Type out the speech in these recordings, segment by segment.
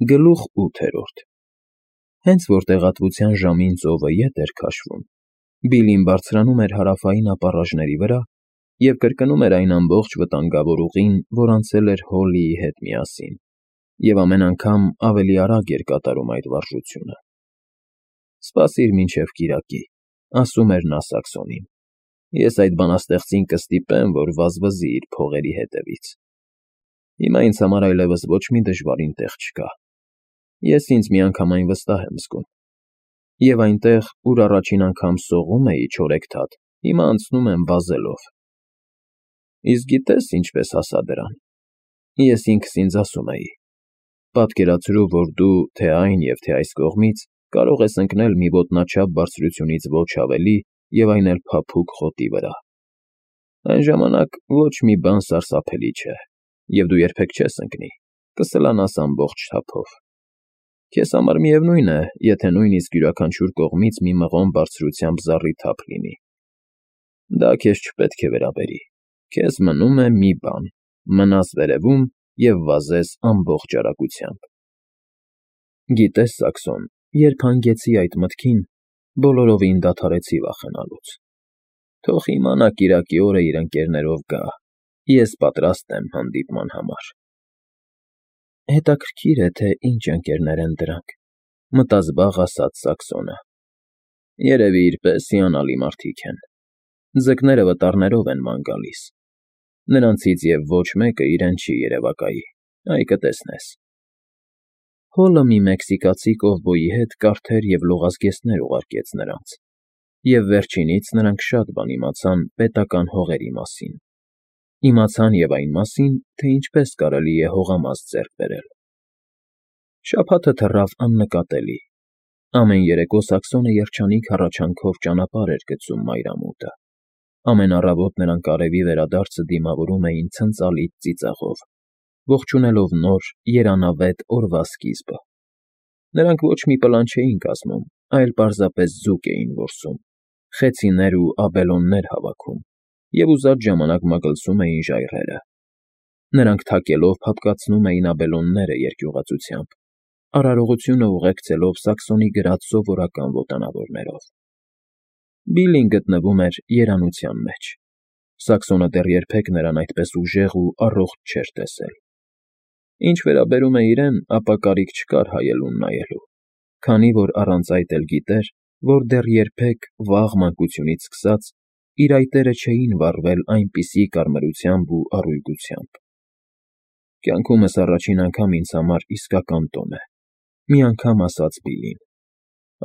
Գլուխ 8 Հենց որ տեղատվության ժամին ծովը ետ էր քաշվում, Բիլլին բարձրանում էր հարավային ապառաժների վրա և կրկնում էր այն ամբողջ վտանգավոր ուղին, որ անցել էր Հոլլիի հետ միասին, և ամեն անգամ ավելի արագ էր կատարում այդ վարժությունը։ «Սպասիր մինչև կիրակի», ասում էր նա Սաքսոնին։ «Ես այդ բանաստեղծին կստիպեմ, որ վազվզի իր փողերի հետևից։ Հիմա ինձ համար այլևս ոչ մի դժվարին տեղ չկա։ Ես ինձ միանգամայն վստահ եմ զգում։ Եվ այնտեղ, ուր առաջին անգամ սողում էի չորեքթաթ, հիմա անցնում եմ վազելով։ Իսկ գիտե՞ս ինչպես հասա դրան։ Ես ինքս ինձ ասում էի. պատկերացրու, որ դու թե այն և թե այս կողմից կարող ես ընկնել մի ոտնաչափ բարձրությունից ոչ ավելի և այն էլ փափուկ խոտի վրա։ Այն ժամանակ ոչ մի բան սարսափելի չէ, և դու երբեք չես ընկնի, կսլանաս ամբողջ թափով։ Քեզ համար միևնույն է, եթե նույնիսկ յուրաքանչյուր կողմից մի մղոն բարձրությամբ զառիթափ լինի։ Դա քեզ չպետք է վերաբերի։ Քեզ մնում է մի բան՝ մնաս վերևում և վազես ամբողջ արագությամբ։ Գիտես, Սաքսոն, երբ հանգեցի այդ մտքին, բոլորովին դադարեցի վախենալուց։ Թող հիմա նա կիրակի օրը իր ընկերներով գա, ես պատրաստ եմ հանդիպման համար։ Հետաքրքիր է, թե ինչ ընկերներ են դրանք, մտազբաղ ասաց Սաքսոնը։ Երևի իր պես հիանալի մարդիկ են։ Ձկները վտառներով են ման գալիս։ Նրանցից և ոչ մեկը իրեն չի երևակայի, այ կտեսնես։ Հոլը մի մեքսիկացի կովբոյի հետ կարթեր և լողազգեստներ ուղարկեց նրանց, և վերջինից նրանք շատ բան իմացան պետական հողերի մասին։ Իմացան և այն մասին, թե ինչպես կարելի է հողամաս ձեռք բերել։ Շաբաթը թռավ աննկատելի։ Ամեն երեկո Սաքսոնը երջանիկ հառաչանքով ճանապարհ էր գծում մայրամուտը։ Ամեն առավոտ նրանք արևի վերադարձը դիմավորում էին ցնծալից ծիծաղով, ողջունելով նոր, երանավետ օրվա սկիզբը։ Նրանք ոչ մի պլան չէին կազմում, այլ պարզապես ձուկ էին որսում, խեցիներ ու աբելոններ հավաքում և ուզած ժամանակ մագլցում էին ժայռերը։ Նրանք թակելով փափկացնում էին աբելոնները երկյուղածությամբ, արարողությունը ուղեկցելով Սաքսոնի գրած սովորական ոտանավորներով։ Բիլլին գտնվում էր երանության մեջ։ Սաքսոնը դեռ երբեք նրան այդպես ուժեղ ու առողջ չէր տեսել։ Ինչ վերաբերում է իրեն, ապա կարիք չկար հայելուն նայելու, քանի որ առանց այդ էլ գիտեր, որ դեռ երբեք, վաղ մանկությունից սկսած, իր այտերը չէին վառվել այնպիսի կարմրությամբ ու առույգությամբ։ Կյանքումս առաջին անգամ ինձ համար իսկական տոն է, մի անգամ ասաց Բիլլին։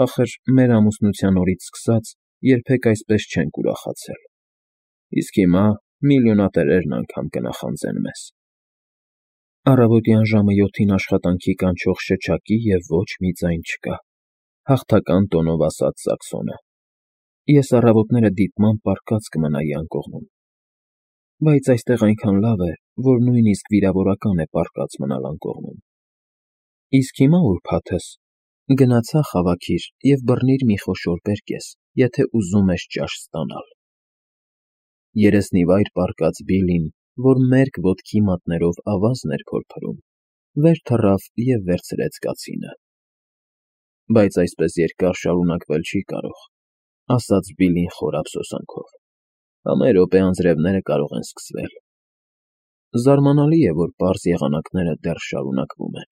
Ախր մեր ամուսնության օրից սկսած երբեք այսպես չենք ուրախացել։ Իսկ հիմա միլիոնատերերն անգամ կնախանձեն մեզ։ Առավոտյան ժամը 7-ին աշխատանքի կանչող շչակի և ոչ մի ձայն չկա, հաղթական տոնով ասաց Սաքսոնը։ Ես առավոտները դիտմամբ պառկած կմնայի անկողնում։ Բայց այստեղ այնքան լավ է, որ նույնիսկ վիրավորական է պառկած մնալ անկողնում։ Իսկ հիմա ուրբաթս գնացա խավաքիր և բռնիր մի խոշոր բերկես, եթե ուզում ես ճաշ ստանալ։ Երեսնիվայր պառկած Բիլլին, որ մերկ ոտքի մատներով ավազն էր փորփրում, վեր թռավ և վերցրեց կացինը։ Բայց այսպես երկար շարունակվել չի կարող, ասաց Բիլլին խոր ափսոսանքով։ Ամեն րոպե անձրևները կարող են սկսվել։ Զարմանալի է, որ պարզ եղանակները դեռ շարունակվում են։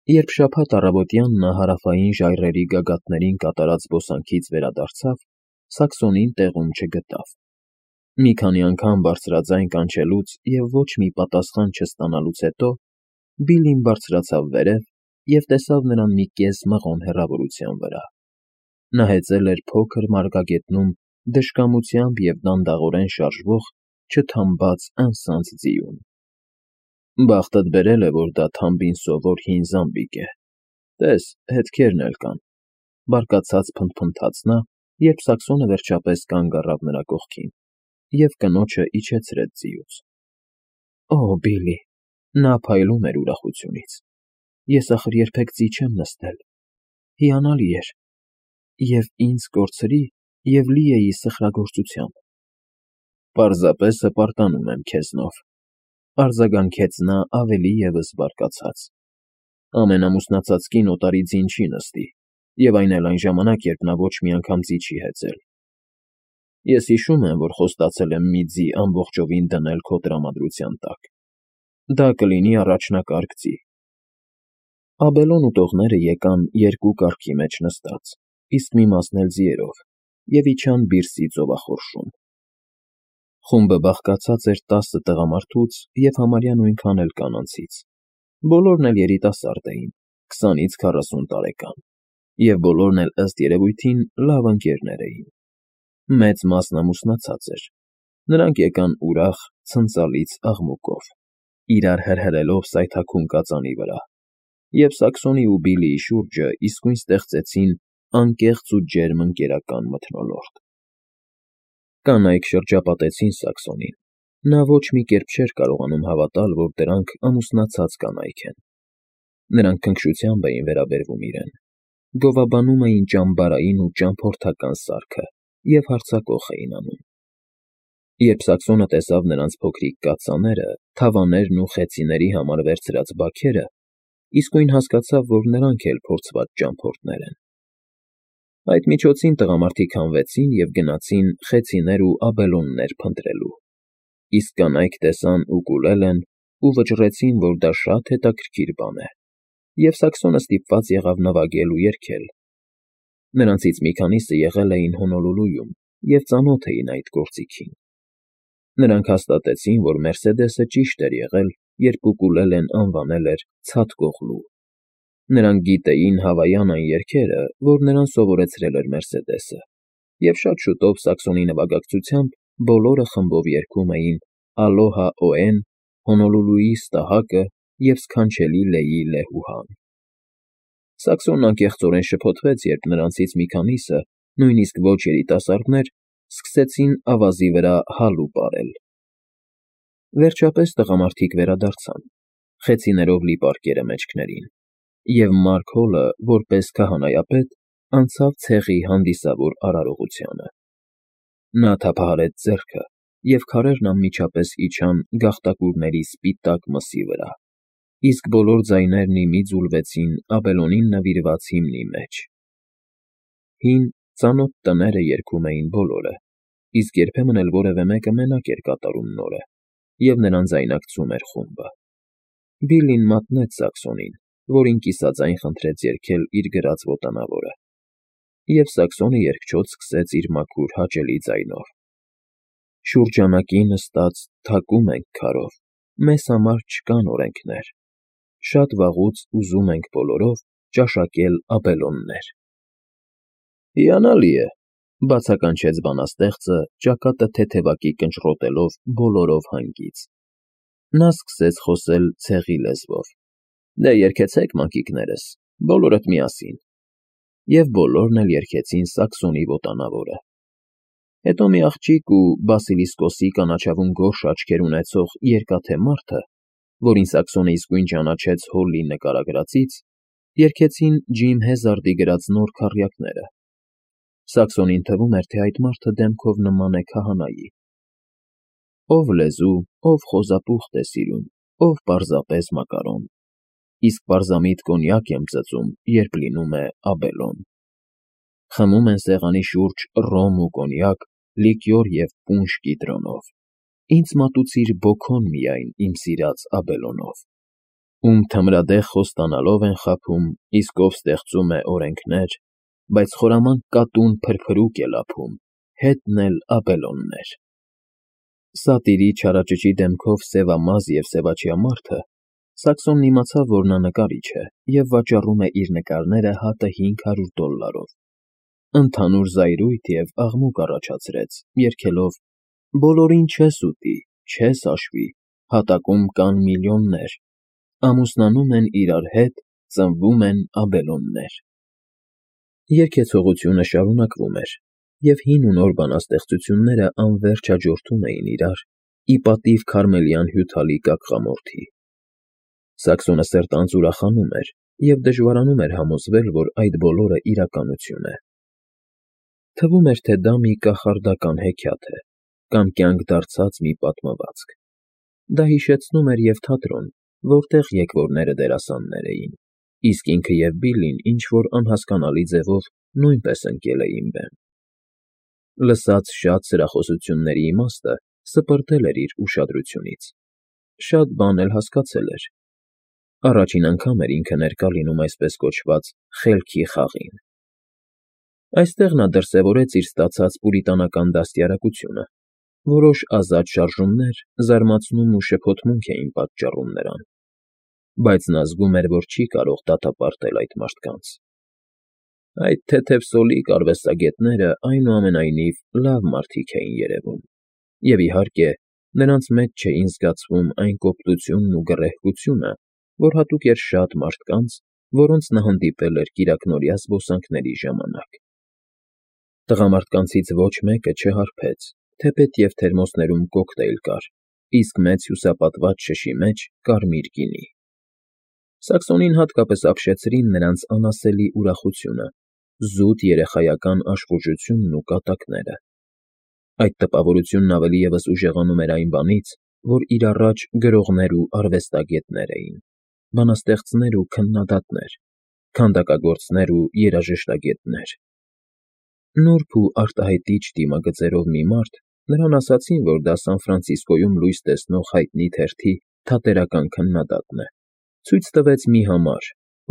Երբ շաբաթ առավոտյան նա հարավային ժայռերի գագաթներին կատարած զբոսանքից վերադարձավ, Սաքսոնին տեղում չգտավ։ Մի քանի անգամ բարձրաձայն կանչելուց և ոչ մի պատասխան չստանալուց հետո Բիլլին բարձրացավ վերև և տեսավ նրան մի կես մղոն հեռավորության վրա։ Նա հեծել էր փոքր մարգագետնում դժկամությամբ և դանդաղորեն շարժվող չթամբած անսանձ ձիուն։ Բախտդ բերել է, որ դա թամբին սովոր հին զամբիկ է։ Տես, հետքերն էլ կան, բարկացած փնթփնթաց նա, երբ Սաքսոնը վերջապես կանգ առավ նրա կողքին և կնոջը իջեցրեց ձիուց։ Օ, Բիլլի, նա փայլում էր ուրախությունից։ Ես ախր երբեք ձի չեմ նստել։ Հիանալի էր։ Եվ ինձ կորցրի, և լի էի սխրագործությամբ։ Պարզապես հպարտանում եմ քեզնով, արձագանքեց նա ավելի ևս բարկացած։ Ամենամուսնացած կին օտարի ձին չի նստի, և այն էլ այն ժամանակ, երբ նա ոչ մի անգամ ձի չի հեծել։ Ես հիշում եմ, որ խոստացել եմ մի ձի ամբողջովին դնել քո տրամադրության տակ։ Դա կլինի առաջնակարգ ձի։ Աբելոն ուտողները եկան երկու կառքի մեջ նստած, իսկ մի մասն էլ ձիերով, և իջան բիրսի ծովախորշում։ Խումբը բաղկացած էր 10 տղամարդուց և համարյա նույնքան էլ կանանցից։ Բոլորն էլ երիտասարդ էին, 20-ից 40 տարեկան, և բոլորն էլ ըստ երևույթին լավ ընկերներ էին։ Մեծ մասն ամուսնացած էր։ Նրանք եկան ուրախ, ցնծալից աղմուկով, իրար հրհրելով սայթաքուն կածանի վրա, և Սաքսոնի ու Բիլիի շուրջը իսկույն ստեղծեցին անկեղծ ու ջերմ ընկերական մթնոլորտ։ Կանայք շրջապատեցին Սաքսոնին։ Նա ոչ մի կերպ չէր կարողանում հավատալ, որ դրանք ամուսնացած կանայք են։ Նրանք քնքշությամբ էին վերաբերվում իրեն, գովաբանում էին ճամբարային ու ճամփորդական սարքը և հարձակող էին անում։ Երբ Սաքսոնը տեսավ նրանց փոքրիկ կաթսաները, թավաներն ու խեցիների համար վերցրած բաքերը, իսկույն հասկացավ, որ նրանք էլ փորձված ճամփորդներ են։ Այդ միջոցին տղամարդիկ հանվեցին և գնացին խեցիներ ու աբելոններ փնտրելու, իսկ կանայք տեսան ուկուլելեն ու վճռեցին, որ դա շատ հետաքրքիր բան է, և Սաքսոնը ստիպված եղավ նվագել ու երգել։ Նրանցից մի քանիսը եղել էին Հոնոլուլուում և ծանոթ էին այդ գործիքին։ Նրանք հաստատեցին, որ Մերսեդեսը ճիշտ էր եղել, երբ ուկուլելեն անվանել էր «ցատկողլու»։ Նրանք գիտեին հավայան այն երգերը, որ նրան սովորեցրել էր Մերսեդեսը, և շատ շուտով Սաքսոնի նվագակցությամբ բոլորը խմբով երգում էին «Ալոհա Օեն», «Հոնոլուլուի ստահակը» և «Սքանչելի Լեյի Լեհուհան»։ Սաքսոնն անկեղծորեն շփոթվեց, երբ նրանցից մի քանիսը, նույնիսկ ոչ երիտասարդներ, սկսեցին ավազի վրա հալու պարել։ Վերջապես տղամարդիկ վերադարձան, խեցիներով լի պարկերը մեջքներին, և Մարք Հոլը, որպես քահանայապետ, անցավ ցեղի հանդիսավոր արարողությանը։ Նա թափահարեց ձեռքը, և քարերն անմիջապես իջան գաղտակուրների սպիտակ մսի վրա, իսկ բոլոր ձայներն ի մի ձուլվեցին Աբելոնին նվիրված հիմնի մեջ։ Հին, ծանոթ տները երգում էին բոլորը, իսկ երբեմն էլ որևէ մեկը մենակ էր կատարում նորը, և նրան ձայնակցում էր խումբը։ Բիլլին մատնեց Սաքսոնին, որին կիսաձայն խնդրեց երգել իր գրած ոտանավորը, և Սաքսոնը երգչոտ սկսեց իր մաքուր հաճելի ձայնով. Շուրջանակի նստած թակում ենք քարով, մեզ համար չկան օրենքներ, շատ վաղուց ուզում ենք բոլորով ճաշակել աբելոններ։ Հիանալի է,֊ բացականչեց բանաստեղծը, ճակատը թեթևակի կնճռոտելով բոլորով հանգից։ Նա սկսեց խոսել ցեղի լեզվով. Դե երգեցեք, մանկիկներս, բոլորդ միասին։ Եվ բոլորն էլ երգեցին Սաքսոնի ոտանավորը։ Հետո մի աղջիկ ու Բասիլիսկոսի կանաչավուն գորշ աչքեր ունեցող երկաթե մարդը, որին Սաքսոնը իսկույն ճանաչեց Հոլի նկարագրածից, երգեցին Ջիմ Հեզարդի գրած նոր քառյակները։ Սաքսոնին թվում էր, թե այդ մարդը դեմքով նման է քահանայի։ Ով լեզու, ով խոզապուխտ է սիրում, ով պարզապես մակարոն, իսկ պարզամիտ կոնյակ եմ ծծում, երբ լինում է աբելոն։ Խմում են սեղանի շուրջ ռոմ ու կոնյակ, լիկյոր և պունշ կիտրոնով։ Ինձ մատուցիր բոքոն միայն իմ սիրած աբելոնով։ Ում թմրադեղ խոստանալով են խաբում, իսկ ով ստեղծում է օրենքներ, բայց խորամանկ կատուն փրփրուկ է լափում, հետն էլ աբելոններ։ Սատիրի չարաճճի դեմքով սևամազ և սևաչյա մարդը, Սաքսոնն իմացավ, որ նա նկարիչ է և վաճառում է իր նկարները հատը $500։ Ընդհանուր զայրույթ և աղմուկ առաջացրեց, երգելով. Բոլորին չես ուտի, չես հաշվի, հատակում կան միլիոններ, ամուսնանում են իրար հետ, ծնվում են աբելոններ։ Երգեցողությունը շարունակվում էր, և հին ու նոր բանաստեղծությունները անվերջ հաջորդում էին իրար, ի պատիվ քարմելյան հյութալի կագխամորթի։ Սաքսոնը սերտանց ուրախանում էր և դժվարանում էր համոզվել, որ այդ բոլորը իրականություն է։ Թվում էր, թե դա մի կախարդական հեքիաթ է կամ կյանք դարձած մի պատմվածք։ Դա հիշեցնում էր և թատրոն, որտեղ եկվորները դերասաններ էին, իսկ ինքը և Բիլլին ինչ-որ անհասկանալի ձևով նույնպես ընկել էին բեմ։ Լսած շատ սրախոսությունների իմաստը սպրտել էր իր ուշադրությունից, շատ բան էլ հասկացել էր. առաջին անգամ էր ինքը ներկա լինում այսպես կոչված խելքի խաղին։ Այստեղ նա դրսևորեց իր ստացած պուրիտանական դաստիարակությունը, որոշ ազատ շարժումներ զարմացնում ու շփոթմունք էին պատճառում նրան, բայց նա զգում էր, որ չի կարող դատապարտել այդ մարդկանց։ Այդ թեթև սոլիկ արվեստագետները, այնուամենայնիվ, լավ մարդիկ էին երևում, և, իհարկե, նրանց մեջ չէին զգացվում այն կոպտությունն ու գռեհկությունը, որ հատուկ էր շատ մարդկանց, որոնց նա հանդիպել էր կիրակնօրյա զբոսանքների ժամանակ։ Տղամարդկանցից ոչ մեկը չհարբեց, թեպետև թերմոսներում կոկտեյլ կար, իսկ մեծ հյուսապատված շշի մեջ կարմիր գինի։ Սաքսոնին հատկապես ապշեցրին նրանց անասելի ուրախությունը, զուտ երեխայական աշխուժությունն ու կատակները։ Այդ տպավորությունն ավելի ևս ուժեղանում էր այն բանից, որ իր առաջ գրողներ ու արվեստագետներ էին, բանաստեղծներ ու քննադատներ, քանդակագործներ ու երաժշտագետներ։ Նուրբ ու արտահայտիչ դիմագծերով մի մարդ նրան ասացին, որ դա Սան Ֆրանցիսկոյում լույս տեսնող հայտնի թերթի թատերական քննադատն է, ցույց տվեց մի համար,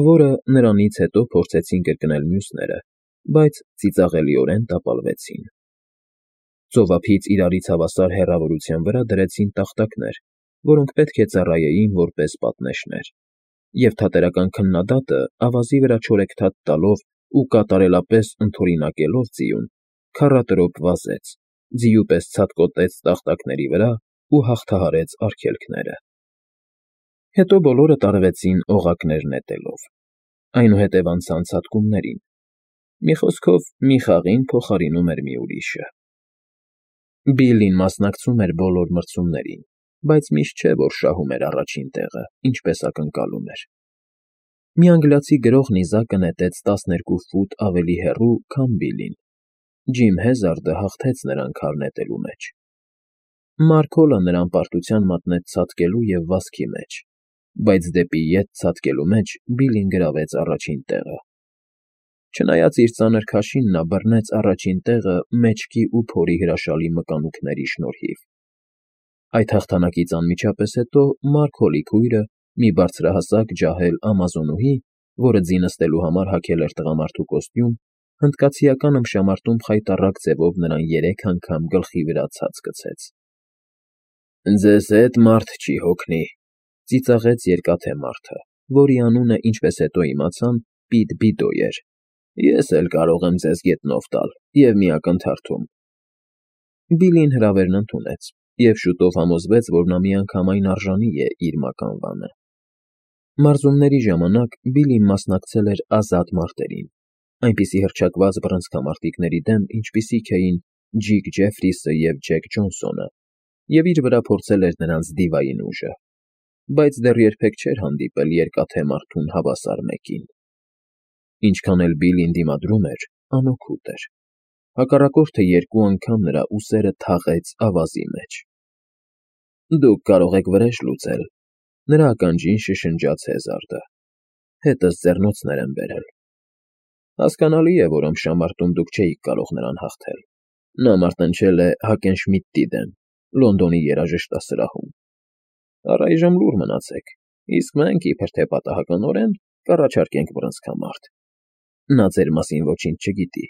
որը նրանից հետո փորձեցին կրկնել մյուսները, բայց ծիծաղելիորեն տապալվեցին։ Ծովափից իրարից հավասար հեռավորության վրա դրեցին տախտակներ, որոնք պետք է ծառայեին որպես պատնեշներ, և թատերական քննադատը, ավազի վրա չորեքթաթ տալով ու կատարելապես ընդօրինակելով ձիուն, քառատրոպ վազեց, ձիու պես ցատկոտեց տախտակների վրա ու հաղթահարեց արգելքները։ Հետո բոլորը տարվեցին օղակներ նետելով, այնուհետև անցան ցատկումներին։ Մի խոսքով, մի խաղին փոխարինում էր մի ուրիշը։ Բիլլին մասնակցում էր բոլոր մրցումներին, բայց միշտ չէ, որ շահում էր առաջին տեղը, ինչպես ակնկալում էր։ Մի անգլիացի գրող նիզակը նետեց 12 ֆուտ ավելի հեռու, քան Բիլլին։ Ջիմ Հեզարդը հաղթեց նրան քար նետելու մեջ։ Մարկ Հոլը նրան պարտության մատնեց ցատկելու և վազքի մեջ, բայց դեպի ետ ցատկելու մեջ Բիլլին գրավեց առաջին տեղը։ Չնայած իր ծանր քաշին, նա բռնեց առաջին տեղը մեջքի ու փորի հրաշալի մկանուկների շնորհիվ։ Այդ հաղթանակից անմիջապես հետո Մարկ Հոլի քույրը, մի բարձրահասակ ջահել ամազոնուհի, որը ձի նստելու համար հագել էր տղամարդու կոստյում, հնդկացիական ըմբշամարտում խայտառակ ձևով նրան 3 անգամ գլխի վրա ցած գցեց։ «Ձեզ հետ մարդ չի հոգնի», ծիծաղեց երկաթե մարդը, որի անունը, ինչպես հետո իմացան, Պիտ-Բիդո էր։ «Ես էլ կարող եմ ձեզ գետնով տալ և մի ակնթարթում»։ Բիլլին հրավերն ընդունեց և շուտով համոզվեց, որ նա միանգամայն արժանի է իր մականվանը։ Մարզումների ժամանակ Բիլլին մասնակցել էր ազատ մարտերին, այնպիսի հռչակված բռնցքամարտիկների դեմ, ինչպիսիք էին Ջիկ Ջեֆրիսը և Ջեք Ջոնսոնը, և իր վրա փորձել էր նրանց դիվային ուժը, բայց դեռ երբեք չէր հանդիպել երկաթե մարդուն հավասար մեկին։ Ինչքան էլ Բիլլին դիմադրում էր, անօգուտ էր։ Հակառակորդը 2 անգամ նրա ուսերը թաղեց ավազի մեջ։ «Դուք կարող եք վրեժ լուծել», նրա ականջին շշնջաց Հեզարդը։ «Հետս ձեռնոցներ եմ բերել»։ Հասկանալի է, որ ըմբշամարտում դուք չէիք կարող նրան հաղթել։ Նա մարտնչել է Հակենշմիդտի դեմ, Լոնդոնի երաժշտասրահում։ Առայժմ լուռ մնացեք, իսկ մենք, իբր թե պատահականորեն, կառաջարկենք բռնցքամարտ։ Նա ձեր մասին ոչինչ չգիտի։